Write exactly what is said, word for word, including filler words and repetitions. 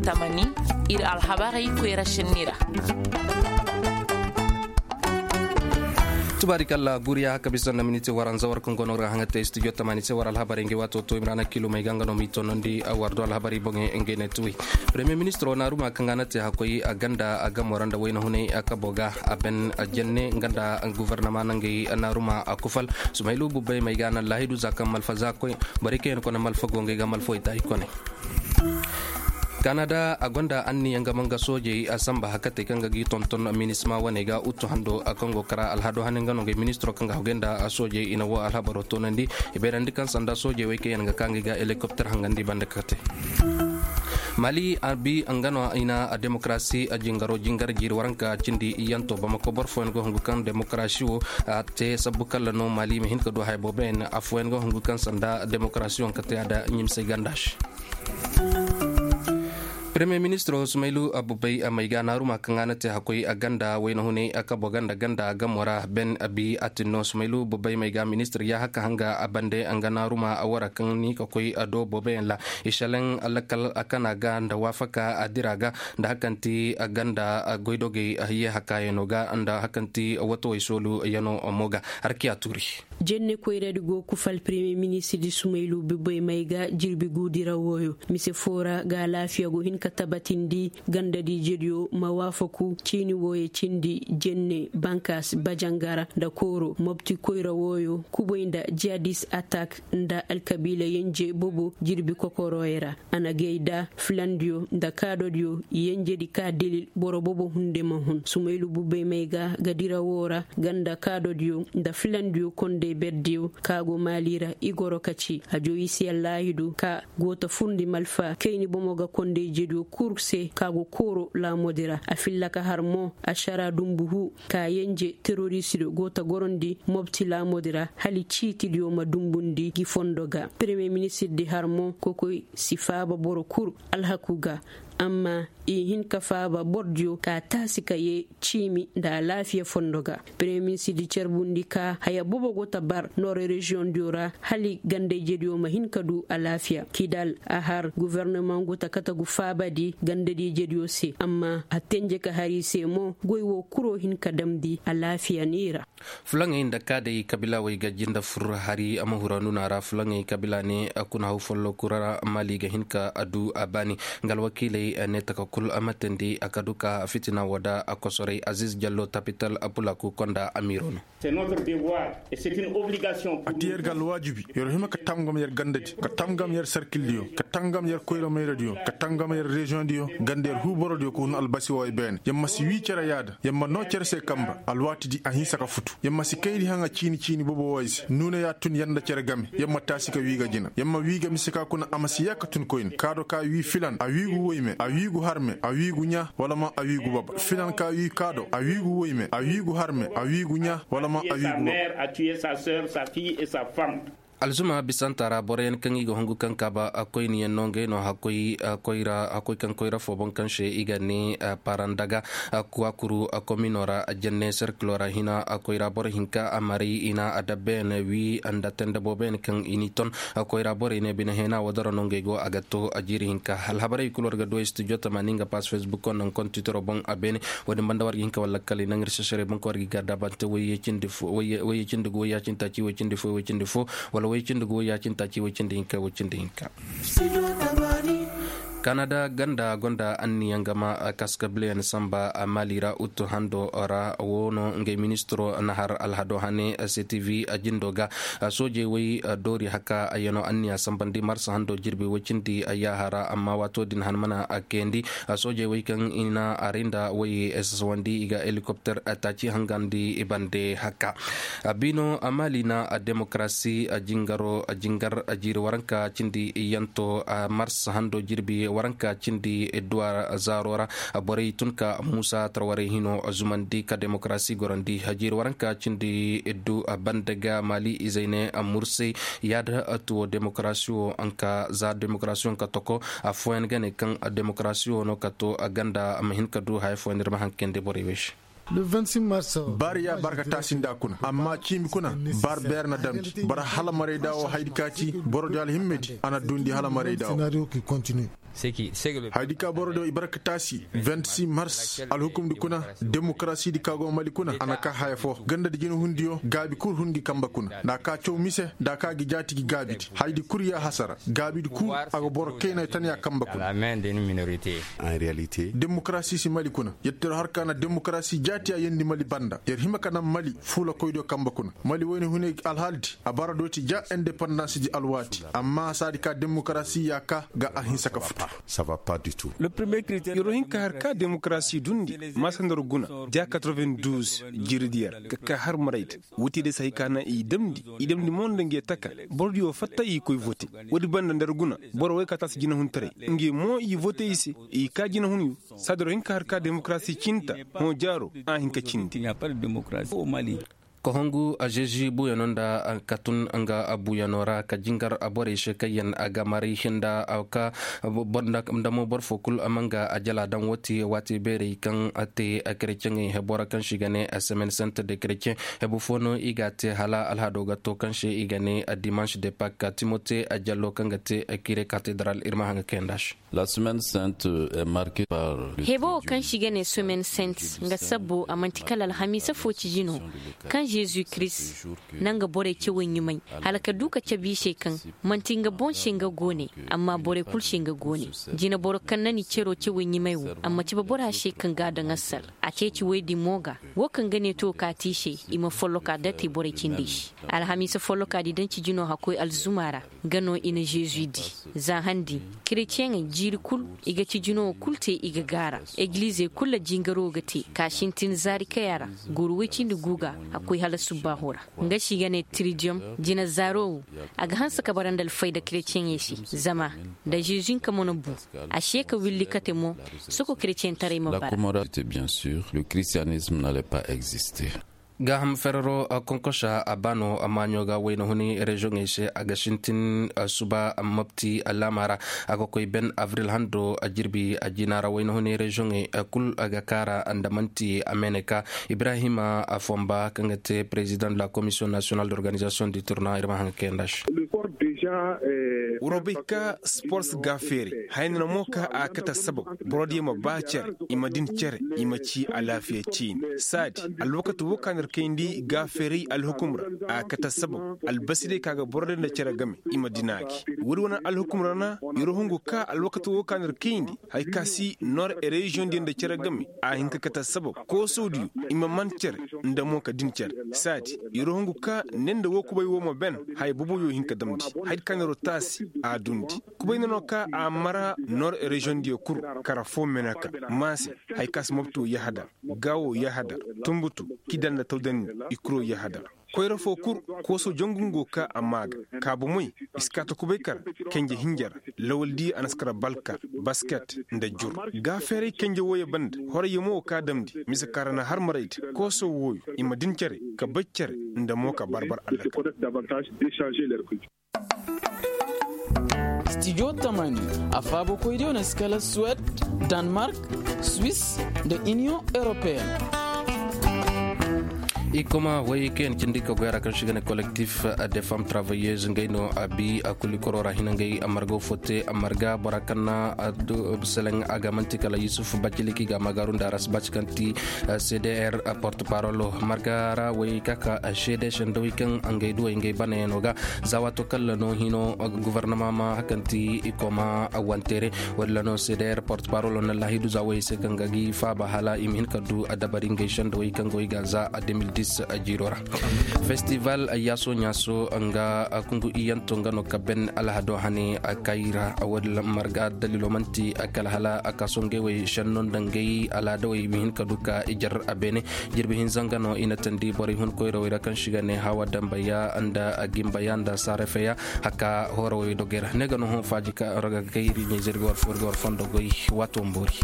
Tamani, ir alhabarey koyra sinni ra. Tubaari kalla guriya haka bisa nda miniti waranza war kaŋ go no ir ga haŋa te studio tamani se war alhabarey ngey waato to imrana kilo may ga nga no m'i tonandi war do alhabarey boŋey ngey ne tuwi. Premier ministro naaruma kaŋ a na te hakkoy a ganda a gamo ra nda wayna hunay a kabo ga a ben a jenne nga nda guvernama nangey naaruma a kufal sumaylu bubbey may ga a na laahidu za kaŋ malfa za koy. Borey kaŋ yaŋ kone malfa go ngey ga malfawey taayi kone. Kanada a gonda anniya nga ma nga soojey a samba hakatey kaŋ ga g'i tonton minisma wane ga utu hando a kaŋ go kara alhado hane nga no ngey ministiro kaŋ ga hagay nda soojey i na wo alhabaro toonandi. I bayrandi kaŋ sanda soojey wey kaŋ yaŋ ga ka ngey ga helikopter hangandi banda kate. Mali a bi nga no i na a demokarasi a jingaro jingar jiiri waranka cindi iyyanto bamako boro fooyaŋ go hungu kaŋ demokarasi wo a te sabbu kalla no mali ma hin ka du haya boobo yaŋ afooyaŋ go hungu kaŋ sanda demokarasi wo nga te a da ɲimsey ganda se. Premier ministro sumaylu abubay a may ga naaruma kaŋ a na te hakkoy a ganda wayna hunay a kabo ganda ganda a gamo ra ben abi a tinno sumaylu bubay may ga ministir ya haka hanga a bande a nga naaruma a wara kaŋ ni ka koy a do boobo yaŋ ra. Isaleŋ lakkal a kana ga nda waafaka a dira ga nda hakanti a ganda a goydogey a hiye hakaayano ga nda hakanti watowey soolu yano mo ga. Harkiya tuuri. Jenne koyradi go kufal premier ministirdi sumaylu bibey may ga jirbi guudira wooyo mise foo ra ga alaafiya go hin ka tabatindi gandadi jediyo ma waafaku ciini wooyo cindi jenne bankas bajangara nda kooro mobti koyra wooyo kubay nda jihadis atak nda alkabiila yenje bobo jirbi kokoroyo ra. A na gay da filandiyo nda kaadodiyo yenjedi ka dilil boro bobo hunde ma hun sumaylu bubey may ga ga dira woo ra ganda kaadodiyo nda filandiyo kondey berdiyo ka go maali ra i goro ka ci a joyisiya laahidu ka go ta furndi malfa kayni bomo ga kondey jediyo kul se ka go kooro laamodi ra a filla ka har mo ašara dumbu huu ka yenje terorisidiyo go ta gorondi mobti laamodi ra hala ciitidiyo ma dumbundi gi fondo ga premier ministirdi har mo kokoy si faaba boro kul alhaku ga. Amma i hin ka faaba bordiyo ka taasi ka yee ciimi nda alaafiya fondo ga premier ministirdi carbundi ka haya bobo go ta bar nord reziyoŋdiyo ra hala gandayjediyo ma hin ka du alaafiya kidal a har gofornamaŋ go ta kate gu faabadi gandadijediyo se amma a tenje ka har i se mo goy woo kuroo hin ka damndi alaafiya ni ra. Fulaŋey nda kaadey kabilaawey ga jinde fur hari a ma huru nuna ra fulaŋey kabila ne a kuna haw follo kura ra maali ga hin ka a du a baani. Nga alwakiiley ne taka kul a ma teendi a ka du ka fitina woo da a kosoray aziz jallo tapital a pulaku konda amiiro no. A ti yer ga alwaajibi yer hima ka tamgam yer gandadi ka tamgam yer sarkildiyo ka tamgam yer koyra mayradiyo ka tamgam yer reziyoŋdiyo ganda yer huu borodiyo ka hun albasi woo ay beene yer ma si wii cere yaada yer ma noo cere se kanba alwaatidi a hinsa ka futu yer ma si kaydi haŋa ciini ciini bobo woo ay se nuuna yaa tun yer nda cere game yer ma taasi ka wii ga jina yer ma wii ga mise ka kuna a ma si yee ka tun koyne kaado ka wii filan a wii gu woyme a wii gu harme a wii gu ɲaa wala ma a wii gu baba filan ka wii kaado a wii gu woyme a wii gu harme a wii gu ɲaa wala ma a wii gu baba. Alzuma bisanta ra boroyaŋ kaŋ i ga hungu kaŋ kaaba koyniyaŋ no ngey no hakkoy kaŋ koyra fo boŋ kaŋ se i ga ne parandaga kuwakuru komino ra jenne serkilo ra hina koyra boro hinka a maray i na a dabbeyaŋ wi nda tende booboyaŋ kaŋ i n'i ton. Koyra borey ne bine heena wadaro no ngey go a ga to a jiiri hinka alhabarey kulu war ga du ay studio tamaani nga paas facebook o naŋ kontitoro boŋ a beene. Wo-din banda war ga hin ka walla kala i naŋ ir sesere boŋ kaŋ war ga i garda bante wayye cindi gu wayya cindi taaci way cindi fo way cindi fo wala way cindi gu wayya cindi taaci way cindi hinka way cindi hinka. Kanada ganda gonda anniya nga ma kaskabileyaŋ samba maali ra utu hando ra wo no ngey ministiro na har alhado hane ctv a jindo ga. Soojey way doori haka yano anniya sambandi marsa hando jirbi way cindi yaaha ra amma waato din han mana kayandi. Soojey way kaŋ i na aray nda way sasawandi i ga helikopter taaci hangandi i bande haka. Biino maali na demokarasi jingaro jingar jiiri waranka cindi yanto mars hando jirbi waranka cindi idduwa zaaro ra. Borey tun ka muusa tarwarey hino zumandi ka demokarasi gorandi jiiri waranka cindi iddu bande ga maali izey ne mursey yaada tuwo demokarasi wo nka za demokarasi wo nka toko. Afooyaŋ ga ne kaŋ demokarasi wo no ka to ganda ma hin ka du haya fooyaŋ ir ma haŋ kayandi borey wey se. Baari ya barka taasi nda kuna amma ciimi kuna. Bar beer na damndi boro hala marayda wo haydi ka ci boro di alhimmedi a na duundi hala marayda wo. Haydi ka boro di wo i barka taasi vingt-six mars alhukumdi kuna. Demokarasidi ka go mali kuna a na ka haya fo gandadi jinahundiyo gaabi kul hun ngi kamba kuna nda ka caw mise nda ka gi jaati gi gaabidi haydi kul ya hasara gaabidi kul a ga boro kaynay tan ya kamba kuna. Demokarasi si mali kuna yetteru har ka na demokarasi jaati a yendi mali banda yer hima ka naŋ mali fuulakoydiyo kamba kuna. Mali wayne hunay alhaaldi a bara dooti ja indepandans di alwaati amma saadi ka demokarasi ya ka ga a hinsa ka futu. Yeroo hin ka har ka demokarasi duundi maasa nda ra guna ja quatre-vingt-douze jiiridiyo ra ka ka har marayda. Woo te day se hay ka naŋ i damndi i damndi mo nda nge taka. Borodiyo fatta i koy vote. Woodi banda nda ra guna boro way ka taasi jinahuntaray nge mo i vote i se. I ka jinahunyo saadi ra hin ka har ka demokarasi cinta hõ jaaro a hin ka cindi. Kohongu azeezi buuyano nda ka tun nga buuyano ra ka jingar borey se kaŋ yaŋ a ga maray hinda ka nda mo boro foo kul a ma nga a jala daŋ woo te waati beerey kaŋ a te. Kereceŋey hebo ra kaŋ se i ga ne semen sent de kereceŋ hebo foo no i ga a te hala alhado ga to kaŋ se i ga ne dimanš de pak timote jallo kaŋ ga te kire katedral ir ma haŋ ga kayanda se. Hebo wo kaŋ se i ga ne semaine sainte nga sabbo a man'ti kala alhamiisa foo ciji no kaŋ zezu kirist na nga borey cawey ɲumay hala ka du ka cabe i se kaŋ man'ti nga boŋ se nga gooney amma borey kul se nga gooney. Jineboro kaŋ na ni cero cawey ɲumay wo a ma cabe bora se kaŋ ga a daŋ assal a ceeci woy din mo ga. Wo kaŋ ga ne to kaati i se i ma folloka date borey cindi i se. Alhamiisa folloka di daŋ ciji no hakkoy alzuma ra. Nga no i na zezu di za han din. Kereceŋey jiiri kul i ga ciji no kul te i ga gaara. Egilizey kul ra jingaro ga te ka sintin zaari kaya ra. Gooru woy cindi guuga a koy hala subbaaho ra. Nga se i ga ne tiridiyom jina zaaro wo a ga hanse ka bara nda alfayda kereceŋey se. Zama nda zezu hinka mo na bu a se ka willi kate mo. Soko kereceŋtaray ma bara. Gaaham ferero konkosa a baano maaɲo ga wayna huni reziyoŋey se a ga sintin suba mopti laama ra. A ga koy ben abril hando jirbi jina ra wayna huni reziyoŋey kul ga kaara nda man'ti a meeneka. Ibrahima fomba kaŋ ga te perezidaŋ de la komisiyoŋ nasiyonal d'organizasiyoŋ di turna ir ma haŋ ga kayanda se. Wuro bay ka spors ga feeri hayna na mo ka a kate assabab. Borodiyo ma ba cere i ma din cere i ma ci alaafiya ciini saadi. Alwakati wo ka na ir kayndi ga feeray alhukum ra a kate assabab. Albasidiyo ka ga borodiyo nda cere game i ma din a gi woodi wane alhukum ra na. Yer hungu ka alwakati wo ka na ir kayndi haya ka si nor reziyoŋ diyo nda cere game a hin ka kate assabab. Koosodiyo i ma man cere nda mo ka din cere saadi. Yer hungu ka ne nda woo kubay woo ma ben haya boboyo hin ka damndi. Haya di ka na yer taasi a duundi. Kubay na no ka a mara nor reziyoŋ diyo kul kara foo meeneka. Maase haya ka si mopto yahadar gaawo yahadar tunbutu kida nda tawdandi. I kuro yahadar koyra foo kul kooso jangu ngo ka a maa ga. Ka bomey i si kaa ta kubay kara kenje hinja ra. Lawaldi a na si kara balka basket nda jur. Gaafeeray kenje wooyo banda horayyo mo wo ka damndi mise ka ra na har marayda kooso wooyo i ma din cere ka bay cere nda mo ka barbar allaka. Stijo tamani a faabokoydiyo na si kala suwed, danmark, swis, nda iniyoŋ europeen. I koma way kaŋ yaŋ cindi ka goy ra kaŋ se i ga ne kolektif de femme travayez ngey no a bi a kuli koro ra hina ngey a marga fo te a marga bora kaŋ na a du seleŋ a ga manti kala yusuf bacili kaŋ i ga a magaaru nda aras baci kaŋ ti cdr porte parolo marga ra way ka ka seede sendawey kaŋ ngey duwey ngey banayaŋo ga. Za waato kaŋ ra no hino gofornama ma kaŋ ti i koma wanteere. Woodin ra no se day airport parolo na laahidu za woyey se kaŋ ga gi faaba hala i ma hin ka du dabari ngey sendawey kaŋ go i ga za deux mille dix jiiro ra. Festival yaaso ɲaaso nga kungu iyanto nga no ka ben alhado hane kayra woodin ra marga dalilo manti kala hala a kaso ngey wey senno nda ngey alhadawey i ma hin ka du ka i jar a beene. Jirbi hinza nga no i na tandi borey hun koyrawey ra kaŋ se i ga ne hawa dambaya nda gimbaya nda saarafeya. Haka hoorowey dogey ra ne ga no hõ faaji ka ra ga kay iri ɲayzey ir ga war fo ir ga war fondo goy. Waato ma boori.